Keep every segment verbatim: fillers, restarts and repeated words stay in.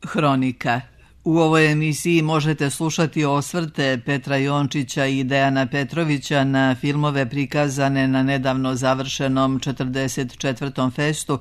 Hronika. U ovoj emisiji možete slušati osvrte Petra Jončića i Dejana Petrovića na filmove prikazane na nedavno završenom četrdeset četvrtom festu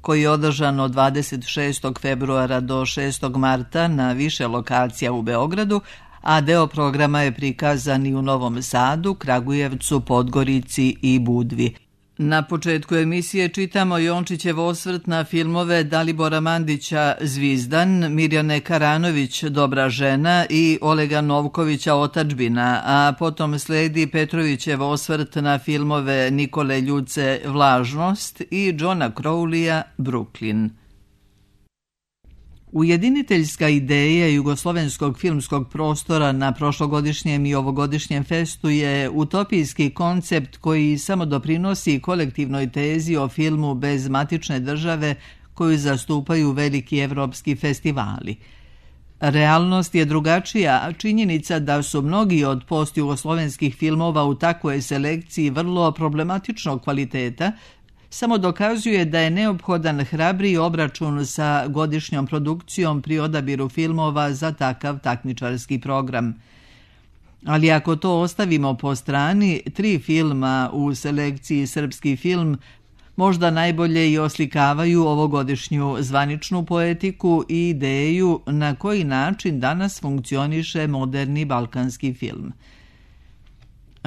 koji je održan od dvadeset šestog februara do šestog marta na više lokacija u Beogradu, a deo programa je prikazan i u Novom Sadu, Kragujevcu, Podgorici i Budvi. Na početku emisije čitamo Jončićev osvrt na filmove Dalibora Mandića Zvizdan, Mirjane Karanović Dobra žena i Olega Novkovića Otadžbina, a potom sledi Petrovićev osvrt na filmove Nikole Ljuce Vlažnost i Johna Crowleya Brooklyn. Ujediniteljska ideja jugoslovenskog filmskog prostora na prošlogodišnjem i ovogodišnjem festu je utopijski koncept koji samo doprinosi kolektivnoj tezi o filmu bez matične države koju zastupaju veliki evropski festivali. Realnost je drugačija, a činjenica da su mnogi od postjugoslovenskih filmova u takvoj selekciji vrlo problematičnog kvaliteta samo dokazuje da je neophodan hrabriji obračun sa godišnjom produkcijom pri odabiru filmova za takav takmičarski program. Ali ako to ostavimo po strani, tri filma u selekciji Srpski film možda najbolje i oslikavaju ovogodišnju zvaničnu poetiku i ideju na koji način danas funkcioniše moderni balkanski film.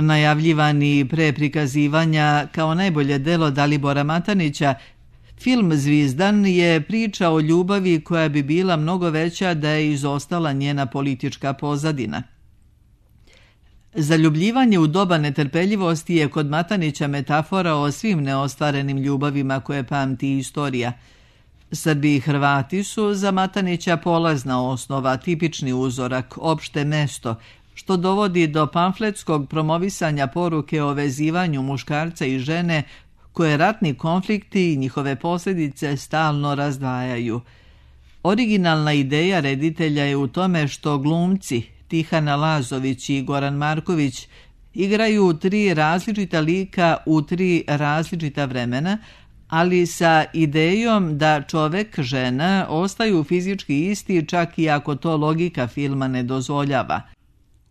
Najavljivani pre prikazivanja kao najbolje delo Dalibora Matanića, film Zvizdan je priča o ljubavi koja bi bila mnogo veća da je izostala njena politička pozadina. Zaljubljivanje u doba netrpeljivosti je kod Matanića metafora o svim neostvarenim ljubavima koje pamti istorija. Srbi i Hrvati su za Matanića polazna osnova, tipični uzorak, opšte mesto, što dovodi do pamfletskog promovisanja poruke o vezivanju muškarca i žene koje ratni konflikti i njihove posljedice stalno razdvajaju. Originalna ideja reditelja je u tome što glumci Tihana Lazović i Goran Marković igraju tri različita lika u tri različita vremena, ali sa idejom da čovek, žena ostaju fizički isti čak i ako to logika filma ne dozvoljava.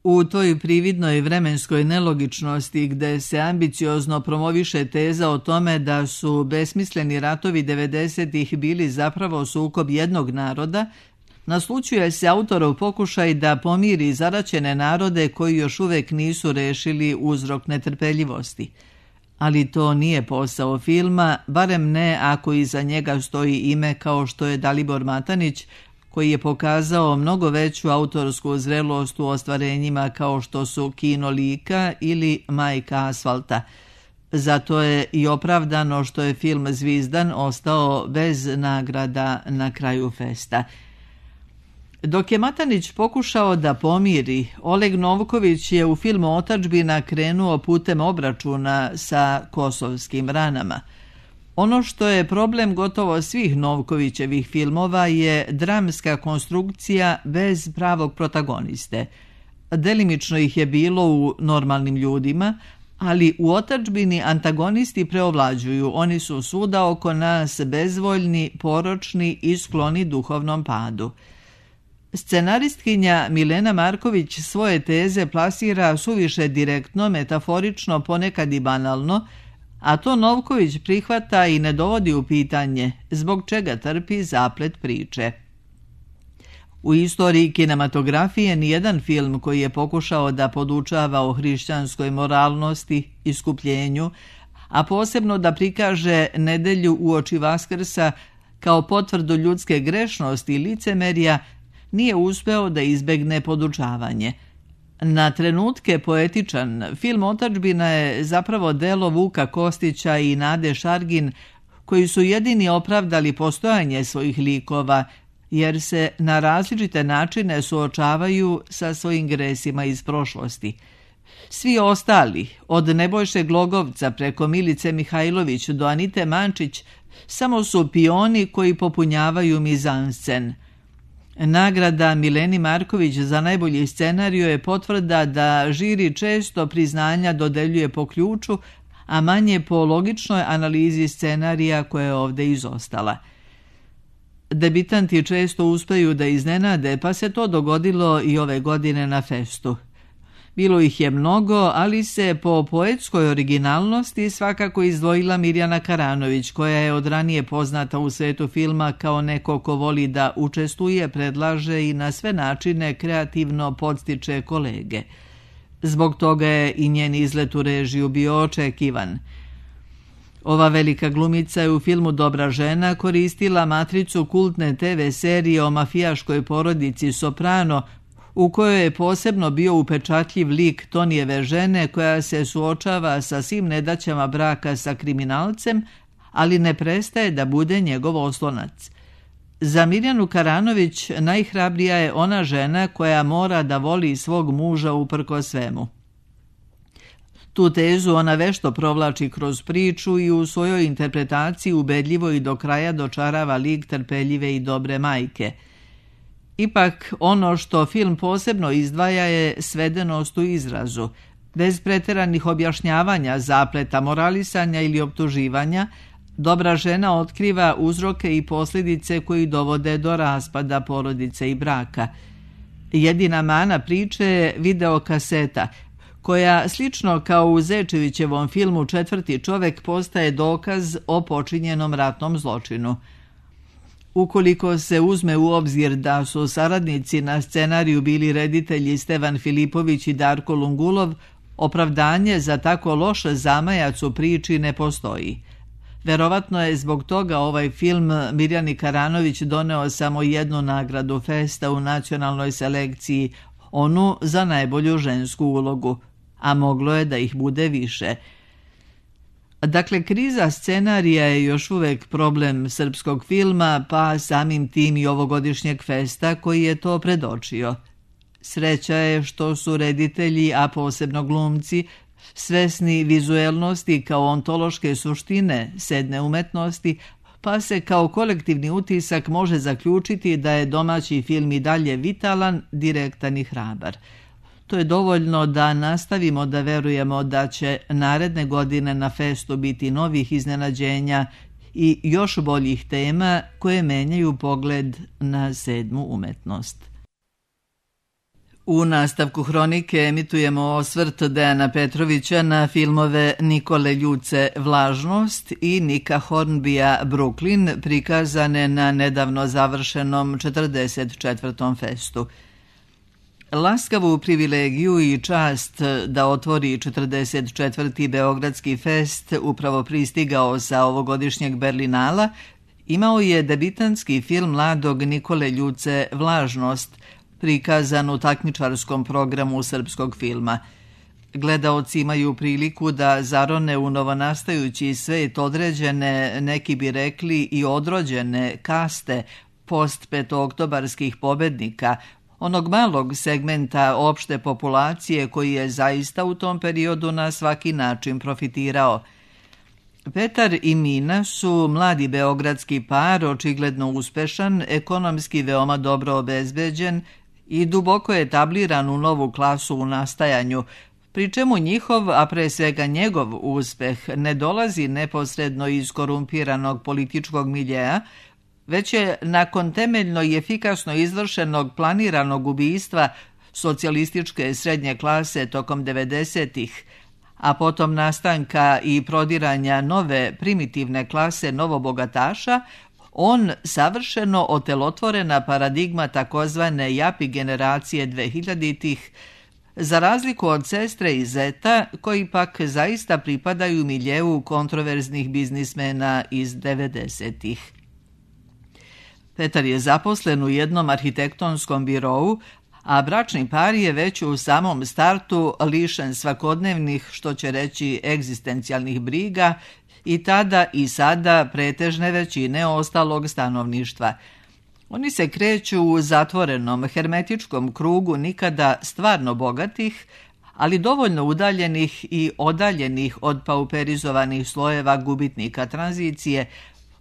U toj prividnoj vremenskoj nelogičnosti gde se ambiciozno promoviše teza o tome da su besmisleni ratovi devedesetih bili zapravo sukob jednog naroda, naslućuje se autorov pokušaj da pomiri zaraćene narode koji još uvek nisu rešili uzrok netrpeljivosti. Ali to nije posao filma, barem ne ako iza njega stoji ime kao što je Dalibor Matanić, koji je pokazao mnogo veću autorsku zrelost u ostvarenjima kao što su Kino lika ili Majka asfalta. Zato je i opravdano što je film Zvizdan ostao bez nagrada na kraju festa. Dok je Matanić pokušao da pomiri, Oleg Novković je u filmu Otadžbina krenuo putem obračuna sa kosovskim ranama. Ono što je problem gotovo svih Novkovićevih filmova je dramska konstrukcija bez pravog protagoniste. Delimično ih je bilo u Normalnim ljudima, ali u Otadžbini antagonisti preovlađuju. Oni su svuda oko nas bezvoljni, poročni i skloni duhovnom padu. Scenaristkinja Milena Marković svoje teze plasira suviše direktno, metaforično, ponekad i banalno, a to Novković prihvata i ne dovodi u pitanje, zbog čega trpi zaplet priče. U istoriji kinematografije nijedan film koji je pokušao da podučava o hrišćanskoj moralnosti, iskupljenju, a posebno da prikaže nedelju uoči Vaskrsa kao potvrdu ljudske grešnosti i licemerja, nije uspeo da izbegne podučavanje. Na trenutke poetičan, film Otadžbina je zapravo delo Vuka Kostića i Nade Šargin, koji su jedini opravdali postojanje svojih likova, jer se na različite načine suočavaju sa svojim gresima iz prošlosti. Svi ostali, od Nebojše Glogovca preko Milice Mihajlović do Anite Mančić, samo su pioni koji popunjavaju mizanscen. Nagrada Mileni Marković za najbolji scenariju je potvrda da žiri često priznanja dodeljuje po ključu, a manje po logičnoj analizi scenarija koja je ovdje izostala. Debitanti često uspeju da iznenade, pa se to dogodilo i ove godine na festu. Bilo ih je mnogo, ali se po poetskoj originalnosti svakako izdvojila Mirjana Karanović, koja je od ranije poznata u svetu filma kao neko ko voli da učestvuje, predlaže i na sve načine kreativno podstiče kolege. Zbog toga je i njen izlet u režiju bio očekivan. Ova velika glumica je u filmu Dobra žena koristila matricu kultne te ve serije o mafijaškoj porodici Soprano, u kojoj je posebno bio upečatljiv lik Tonijeve žene koja se suočava sa svim nedaćama braka sa kriminalcem, ali ne prestaje da bude njegov oslonac. Za Mirjanu Karanović najhrabrija je ona žena koja mora da voli svog muža uprkos svemu. Tu tezu ona vešto provlači kroz priču i u svojoj interpretaciji ubedljivo i do kraja dočarava lik trpeljive i dobre majke. Ipak, ono što film posebno izdvaja je svedenost u izrazu. Bez preteranih objašnjavanja, zapleta, moralisanja ili optuživanja, Dobra žena otkriva uzroke i posljedice koji dovode do raspada porodice i braka. Jedina mana priče je videokaseta, koja, slično kao u Zečevićevom filmu Četvrti čovek, postaje dokaz o počinjenom ratnom zločinu. Ukoliko se uzme u obzir da su saradnici na scenariju bili reditelji Stevan Filipović i Darko Lungulov, opravdanje za tako loš zamajac u priči ne postoji. Verovatno je zbog toga ovaj film Mirjani Karanović doneo samo jednu nagradu festa u nacionalnoj selekciji, onu za najbolju žensku ulogu, a moglo je da ih bude više. Dakle, kriza scenarija je još uvek problem srpskog filma, pa samim tim i ovogodišnjeg festa koji je to predočio. Sreća je što su reditelji, a posebno glumci, svesni vizuelnosti kao ontološke suštine sedne umetnosti, pa se kao kolektivni utisak može zaključiti da je domaći film i dalje vitalan, direktan i hrabar. To je dovoljno da nastavimo da verujemo da će naredne godine na festu biti novih iznenađenja i još boljih tema koje menjaju pogled na sedmu umetnost. U nastavku hronike emitujemo osvrt Dejana Petrovića na filmove Nikole Ljuce Vlažnost i Nika Hornbija Brooklyn, prikazane na nedavno završenom četrdeset četvrtom festu. Laskavu privilegiju i čast da otvori četrdeset četvrti Beogradski fest, upravo pristigao sa ovogodišnjeg Berlinala, imao je debitanski film mladog Nikole Ljuce Vlažnost, prikazan u takmičarskom programu srpskog filma. Gledaoci imaju priliku da zarone u novonastajući svet određene, neki bi rekli i odrođene, kaste postpetooktobarskih pobednika, onog malog segmenta opšte populacije koji je zaista u tom periodu na svaki način profitirao. Petar i Mina su mladi beogradski par, očigledno uspešan, ekonomski veoma dobro obezbeđen i duboko etabliran u novu klasu u nastajanju, pri čemu njihov, a pre svega njegov uspeh ne dolazi neposredno iz korumpiranog političkog miljeja, već je nakon temeljno i efikasno izvršenog planiranog ubistva socijalističke srednje klase tokom devedesetih, a potom nastanka i prodiranja nove primitivne klase novobogataša, on savršeno otelotvorena paradigma takozvane japi generacije dvehiljaditih, za razliku od sestre i zeta, koji pak zaista pripadaju miljeu kontroverznih biznismena iz devedesetih. Petar je zaposlen u jednom arhitektonskom birou, a bračni par je već u samom startu lišen svakodnevnih, što će reći, egzistencijalnih briga i tada i sada pretežne većine ostalog stanovništva. Oni se kreću u zatvorenom, hermetičkom krugu nikada stvarno bogatih, ali dovoljno udaljenih i odaljenih od pauperizovanih slojeva gubitnika tranzicije,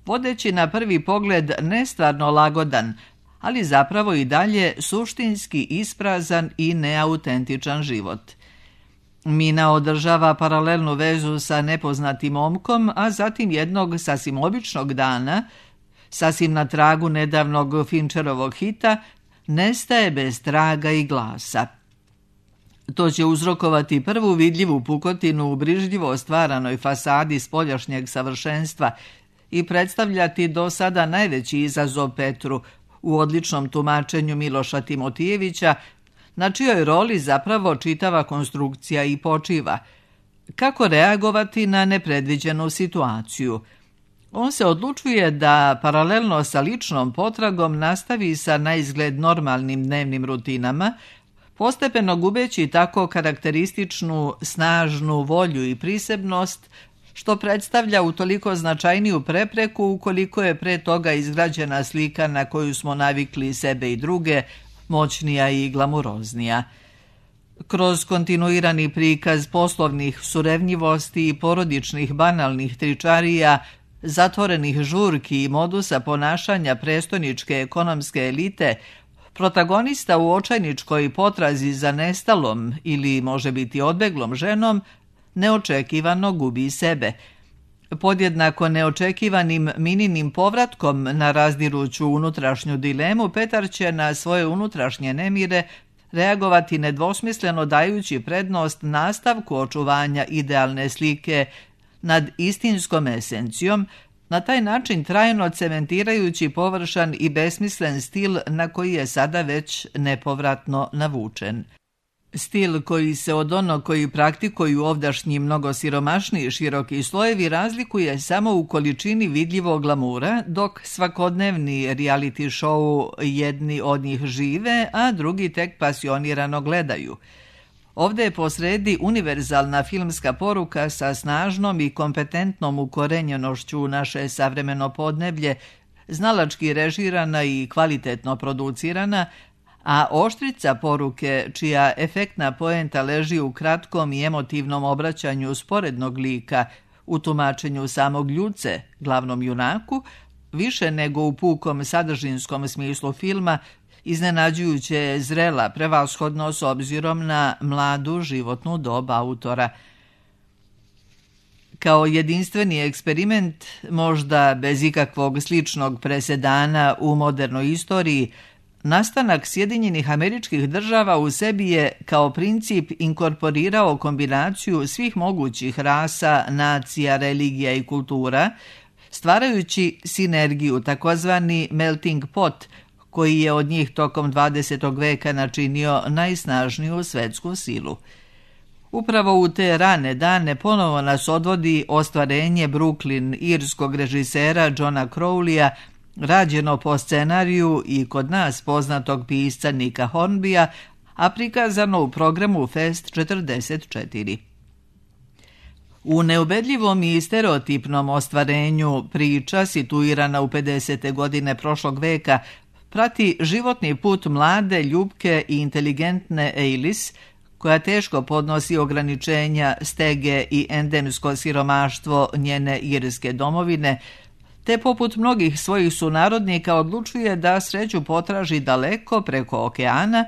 vodeći na prvi pogled nestvarno lagodan, ali zapravo i dalje suštinski isprazan i neautentičan život. Mina održava paralelnu vezu sa nepoznatim momkom, a zatim jednog sasvim običnog dana sasvim na tragu nedavnog Fincherovog hita, nestaje bez traga i glasa. To će uzrokovati prvu vidljivu pukotinu u brižljivo stvaranoj fasadi spoljašnjeg savršenstva i predstavljati do sada najveći izazov Petru u odličnom tumačenju Miloša Timotijevića, na čijoj roli zapravo čitava konstrukcija i počiva. Kako reagovati na nepredviđenu situaciju? On se odlučuje da paralelno sa ličnom potragom nastavi sa naizgled normalnim dnevnim rutinama, postepeno gubeći tako karakterističnu, snažnu volju i prisebnost, što predstavlja utoliko značajniju prepreku ukoliko je pre toga izgrađena slika na koju smo navikli sebe i druge, moćnija i glamuroznija. Kroz kontinuirani prikaz poslovnih surevnjivosti i porodičnih banalnih tričarija, zatvorenih žurki i modusa ponašanja prestoničke ekonomske elite, protagonista u očajničkoj potrazi za nestalom ili može biti odbeglom ženom neočekivano gubi sebe. Podjednako neočekivanim Mininim povratkom na razdiruću unutrašnju dilemu, Petar će na svoje unutrašnje nemire reagovati nedvosmisleno dajući prednost nastavku očuvanja idealne slike nad istinskom esencijom, na taj način trajno cementirajući površan i besmislen stil na koji je sada već nepovratno navučen. Stil koji se od onog koji praktikuju ovdašnji mnogo siromašniji široki slojevi razlikuje samo u količini vidljivog glamura, dok svakodnevni reality show jedni od njih žive, a drugi tek pasionirano gledaju. Ovdje je posredi univerzalna filmska poruka sa snažnom i kompetentnom ukorenjenošću u naše savremeno podneblje, znalački režirana i kvalitetno producirana, a oštrica poruke, čija efektna poenta leži u kratkom i emotivnom obraćanju sporednog lika, u tumačenju samog Ljuce, glavnom junaku, više nego u pukom sadržinskom smislu filma, iznenađujuće je zrela, prevashodno s obzirom na mladu životnu dob autora. Kao jedinstveni eksperiment, možda bez ikakvog sličnog presedana u modernoj istoriji, nastanak Sjedinjenih Američkih Država u sebi je kao princip inkorporirao kombinaciju svih mogućih rasa, nacija, religija i kultura, stvarajući sinergiju, takozvani melting pot, koji je od njih tokom dvadesetog veka načinio najsnažniju svetsku silu. Upravo u te rane dane ponovo nas odvodi ostvarenje Brooklyn irskog režisera Johna Crowleya, rađeno po scenariju i kod nas poznatog pisca Nika Hornbya, a prikazano u programu Fest četrdeset četiri. U neubedljivom i stereotipnom ostvarenju priča, situirana u pedesete godine prošlog veka, prati životni put mlade, ljubke i inteligentne Eilis, koja teško podnosi ograničenja, stege i endemsko siromaštvo njene irske domovine, te poput mnogih svojih sunarodnika odlučuje da sreću potraži daleko preko okeana,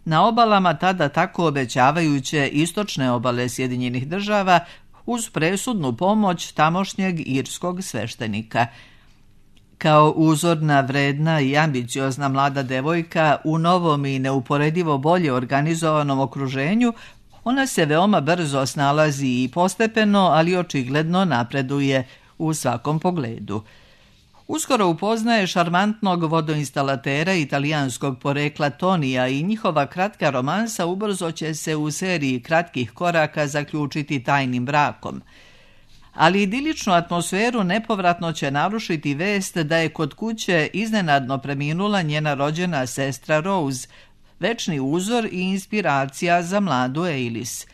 na obalama tada tako obećavajuće istočne obale Sjedinjenih Država, uz presudnu pomoć tamošnjeg irskog sveštenika. Kao uzorna, vredna i ambiciozna mlada devojka u novom i neuporedivo bolje organizovanom okruženju, ona se veoma brzo snalazi i postepeno, ali očigledno napreduje u svakom pogledu. Uskoro upoznaje šarmantnog vodoinstalatera italijanskog porekla Tonija i njihova kratka romansa ubrzo će se u seriji kratkih koraka zaključiti tajnim brakom. Ali idiličnu atmosferu nepovratno će narušiti vest da je kod kuće iznenadno preminula njena rođena sestra Rose, večni uzor i inspiracija za mladu Eilis.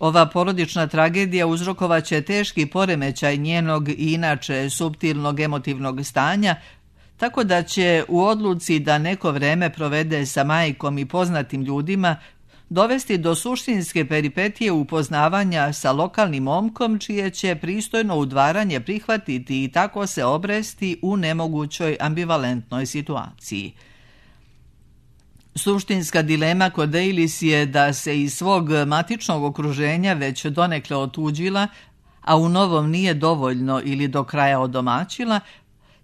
Ova porodična tragedija uzrokovaće teški poremećaj njenog i inače suptilnog emotivnog stanja, tako da će u odluci da neko vreme provede sa majkom i poznatim ljudima dovesti do suštinske peripetije upoznavanja sa lokalnim momkom, čije će pristojno udvaranje prihvatiti i tako se obresti u nemogućoj ambivalentnoj situaciji. Suštinska dilema kod Eilis je da se iz svog matičnog okruženja već donekle otuđila, a u novom nije dovoljno ili do kraja odomaćila,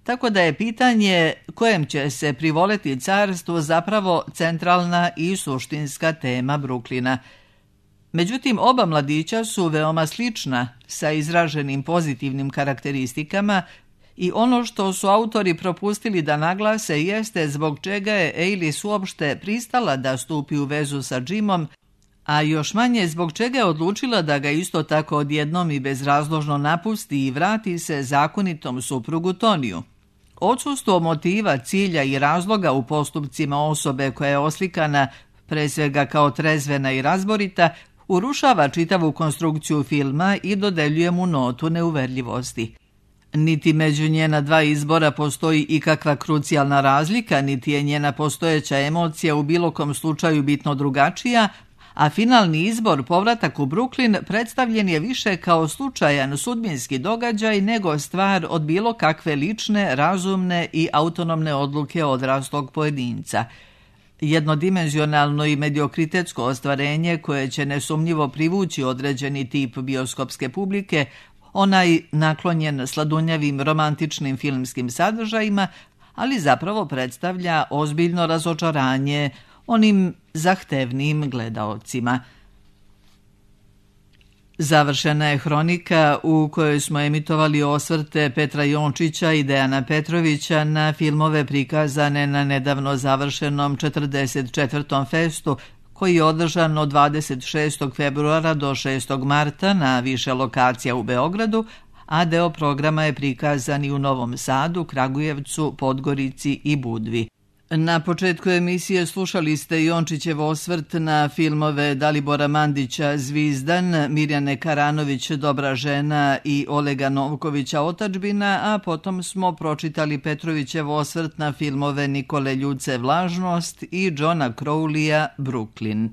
tako da je pitanje kojem će se privoleti carstvu zapravo centralna i suštinska tema Brooklyna. Međutim, oba mladića su veoma slična, sa izraženim pozitivnim karakteristikama, i ono što su autori propustili da naglase jeste zbog čega je Alice uopšte pristala da stupi u vezu sa Jimom, a još manje zbog čega je odlučila da ga isto tako odjednom i bezrazložno napusti i vrati se zakonitom suprugu Toniju. Odsustvo motiva, cilja i razloga u postupcima osobe koja je oslikana pre svega kao trezvena i razborita, urušava čitavu konstrukciju filma i dodeljuje mu notu neuverljivosti. Niti među njena dva izbora postoji ikakva krucijalna razlika, niti je njena postojeća emocija u bilo kom slučaju bitno drugačija, a finalni izbor, povratak u Brooklyn, predstavljen je više kao slučajan sudbinski događaj nego stvar od bilo kakve lične, razumne i autonomne odluke odraslog pojedinca. Jednodimenzionalno i mediokritetsko ostvarenje koje će nesumnjivo privući određeni tip bioskopske publike, onaj naklonjen sladunjavim romantičnim filmskim sadržajima, ali zapravo predstavlja ozbiljno razočaranje onim zahtevnim gledaocima. Završena je hronika u kojoj smo emitovali osvrte Petra Jončića i Dejana Petrovića na filmove prikazane na nedavno završenom četrdeset četvrtom festu, koji je održan od dvadeset šestog februara do šestog marta na više lokacija u Beogradu, a deo programa je prikazan i u Novom Sadu, Kragujevcu, Podgorici i Budvi. Na početku emisije slušali ste Jončićev osvrt na filmove Dalibora Mandića Zvizdan, Mirjane Karanović Dobra žena i Olega Novkovića Otadžbina, a potom smo pročitali Petrovićev osvrt na filmove Nikole Ljuce Vlažnost i Johna Crowleya Brooklyn.